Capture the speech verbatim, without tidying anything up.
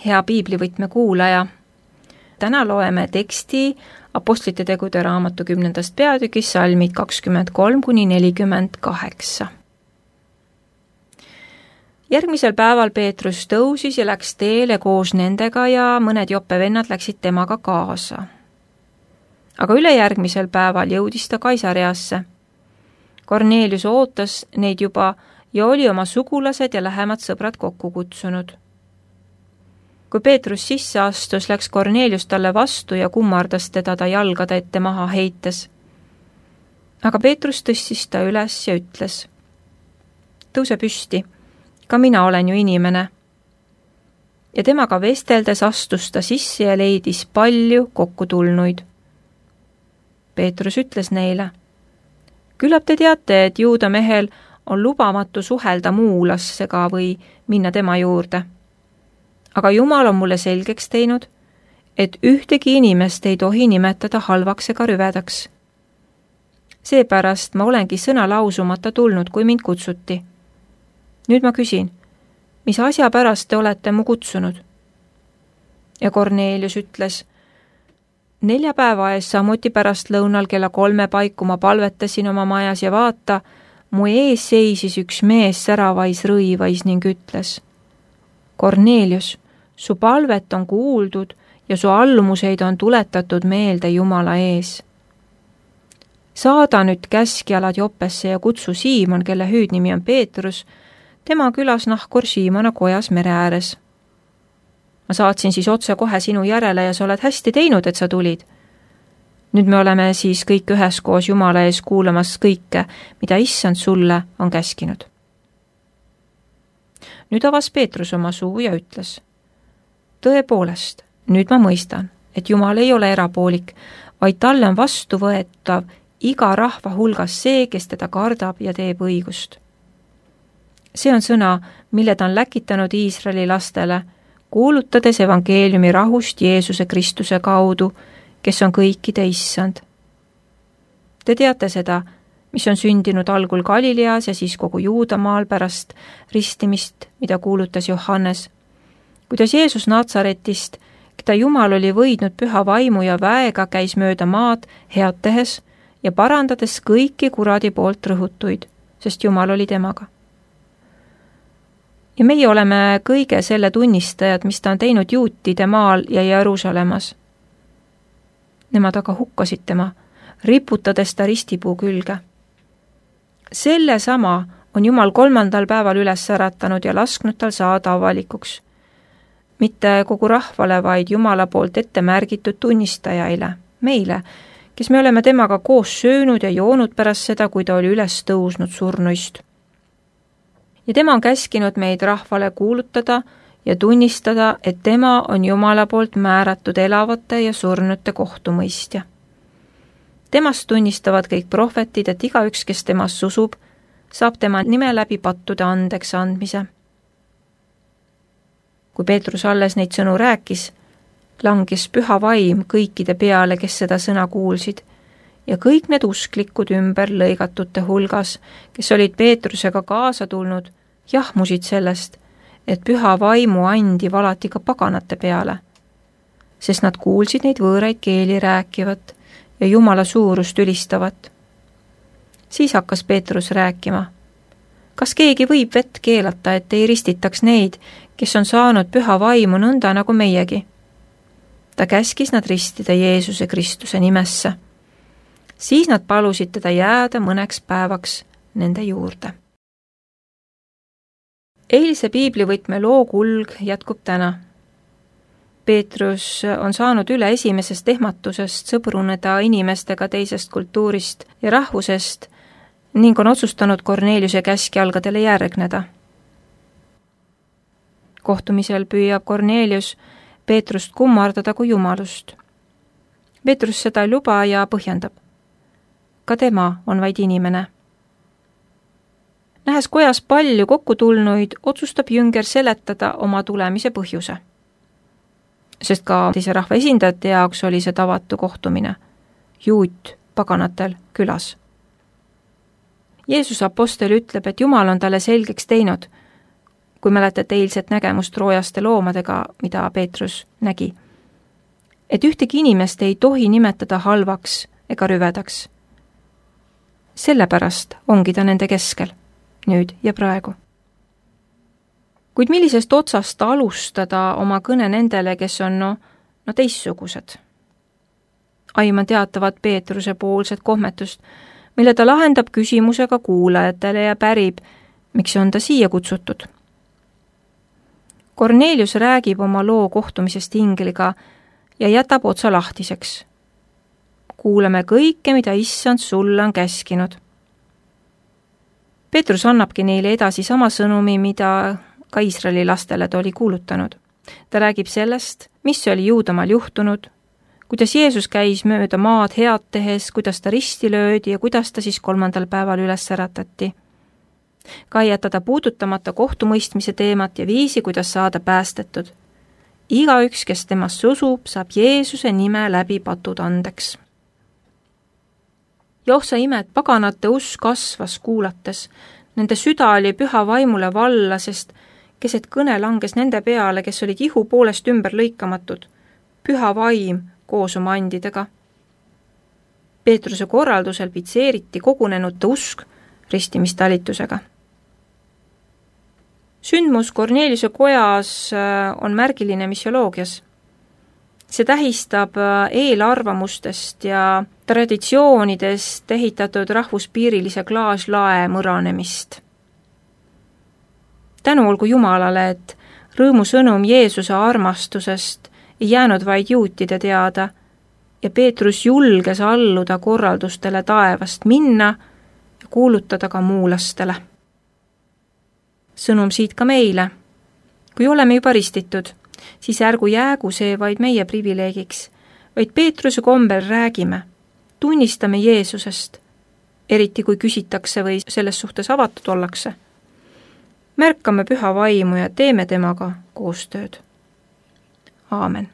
hea piiblivõtme kuulaja. Täna loeme teksti Apostlite tegude raamatu kümnendast peatükist salmid kakskümmend kolm kuni nelikümmend kaheksa. Järgmisel päeval Peetrus tõusis ja läks teele koos nendega ja mõned Joppe vennad läksid temaga kaasa. Aga ülejärgmisel päeval jõudis ta Kaisareasse. Korneelius ootas neid juba ja oli oma sugulased ja lähemad sõbrad kokku kutsunud. Kui Peetrus sisse astus, läks Korneelius talle vastu ja kummardas teda ta jalgade ette maha heites. Aga Peetrus tõstis ta üles ja ütles: tõuse püsti, ka mina olen ju inimene. Ja temaga vesteldes astus ta sisse ja leidis palju kokkutulnuid. Peetrus ütles neile: küllap te teate, et juuda mehel on lubamatu suhelda muulassega või minna tema juurde. Aga Jumal on mulle selgeks teinud, et ühtegi inimest ei tohi nimetada halvaks ega rüvedaks. Seepärast ma olengi sõna lausumata tulnud, kui mind kutsuti. Nüüd ma küsin, mis asja pärast te olete mu kutsunud? Ja Korneelius ütles: nelja päeva ees samuti pärast lõunal kella kolme paiku ma palvetasin oma majas ja vaata, mu ees seisis üks mees säravais rõivais ning ütles: Korneelius, su palvet on kuuldud ja su allumuseid on tuletatud meelde Jumala ees. Saada nüüd käskjalad Joppesse ja kutsu Siimon, kelle hüüdnimi on Peetrus, tema külas nahkur Siimona kojas mere ääres. Ma saatsin siis otse kohe sinu järele ja sa oled hästi teinud, et sa tulid. Nüüd me oleme siis kõik üheskoos Jumala ees kuulamas kõike, mida issand sulle on käskinud. Nüüd avas Peetrus oma suu ja ütles: tõepoolest, nüüd ma mõistan, et Jumal ei ole erapoolik, vaid talle on vastuvõetav iga rahva hulgas see, kes teda kardab ja teeb õigust. See on sõna, mille ta on läkitanud Iisraeli lastele, kuulutades evangeeliumi rahust Jeesuse Kristuse kaudu, kes on kõikide issand. Te teate seda, mis on sündinud algul Galileas ja siis kogu Juudamaal pärast ristimist, mida kuulutas Johannes. Kuidas Jeesus Natsaretist, keda Jumal oli võidnud püha vaimu ja väega, käis mööda maad head tehes ja parandades kõiki kuradi poolt rõhutuid, sest Jumal oli temaga. Ja meie oleme kõige selle tunnistajad, mis ta on teinud juutide maal ja Jeruusalemmas. Nemad aga hukkasid tema, riputades ta ristipuu külge. Selle sama on Jumal kolmandal päeval üles äratanud ja lasknud tal saada avalikuks. Mitte kogu rahvale, vaid Jumala poolt ette märgitud tunnistajaile, meile, kes me oleme temaga koos söönud ja joonud pärast seda, kui ta oli üles tõusnud surnuist. Ja tema on käskinud meid rahvale kuulutada ja tunnistada, et tema on Jumala poolt määratud elavate ja surnute kohtumõistja. Temast tunnistavad kõik prohvetid, et igaüks, kes temast usub, saab tema nime läbi pattude andeks andmise. Kui Peetrus alles neid sõnu rääkis, langis püha vaim kõikide peale, kes seda sõna kuulsid, ja kõik need usklikud ümber lõigatute hulgas, kes olid Peetrusega kaasa tulnud, jahmusid sellest, et püha vaimu andi valati ka paganate peale, sest nad kuulsid neid võõraid keeli rääkivat ja Jumala suurust ülistavat. Siis hakkas Peetrus rääkima: kas keegi võib vett keelata, et ei ristitaks neid, kes on saanud püha vaimu nõnda nagu meiegi? Ta käskis nad ristida Jeesuse Kristuse nimesse. Siis nad palusid teda jääda mõneks päevaks nende juurde. Eilse piiblivõtme loo kulg jätkub täna. Peetrus on saanud üle esimesest ehmatusest sõbruneda inimestega teisest kultuurist ja rahvusest ning on otsustanud Korneeliuse käskjalgadele järgneda. Kohtumisel püüab Korneelius Peetrust kummardada kui jumalust. Peetrus seda ei luba ja põhjendab. Ka tema on vaid inimene. Nähes kojas palju kokkutulnuid, otsustab jünger seletada oma tulemise põhjuse. Sest ka teise rahva esindajate jaoks oli see tavatu kohtumine. Juut paganatel külas. Jeesus apostel ütleb, et Jumal on talle selgeks teinud, kui mäletate eilset nägemust roojaste loomadega, mida Peetrus nägi. Et ühtegi inimest ei tohi nimetada halvaks ega rüvedaks. Sellepärast ongi ta nende keskel, nüüd ja praegu. Kuid millisest otsast alustada oma kõne nendele, kes on no, no teistsugused? Aiman teatavat Peetruse poolset kohmetust, mille ta lahendab küsimusega kuulajatele ja pärib, miks on ta siia kutsutud. Kornelius räägib oma loo kohtumisest ingliga ja jätab otsa lahtiseks. Kuuleme kõike, mida issand sulle on käskinud. Peetrus annabki neile edasi sama sõnumi, mida ka Iisraeli lastele ta oli kuulutanud. Ta räägib sellest, mis oli Juudamaal juhtunud, kuidas Jeesus käis mööda maad head tehes, kuidas ta risti löödi ja kuidas ta siis kolmandal päeval üles äratati. Ka ei jäta ta puudutamata kohtumõistmise teemat ja viisi, kuidas saada päästetud. Igaüks, kes temast usub, saab Jeesuse nime läbi patud andeks. Joh sa ime, et paganate usk kasvas kuulates. Nende süda oli püha vaimule valla, sest keset kõne langes nende peale, kes olid ihu poolest ümber lõikamatud. Püha vaim koos oma andidega. Peetruse korraldusel pitseeriti kogunenute usk ristimistalitusega. Sündmus Korneliuse kojas on märgiline missioloogias. See tähistab eelarvamustest ja traditsioonidest ehitatud rahvuspiirilise klaaslae mõranemist. Tänu olgu Jumalale, et rõõmusõnum Jeesuse armastusest ei jäänud vaid juutide teada ja Peetrus julges alluda korraldustele taevast minna ja kuulutada ka muulastele. Sõnum siit ka meile. Kui oleme juba ristitud, siis ärgu jäägu see vaid meie privileegiks, vaid Peetruse kombel räägime, tunnistame Jeesusest, eriti kui küsitakse või selles suhtes avatud ollakse. Märkame püha vaimu ja teeme temaga koostööd. Aamen.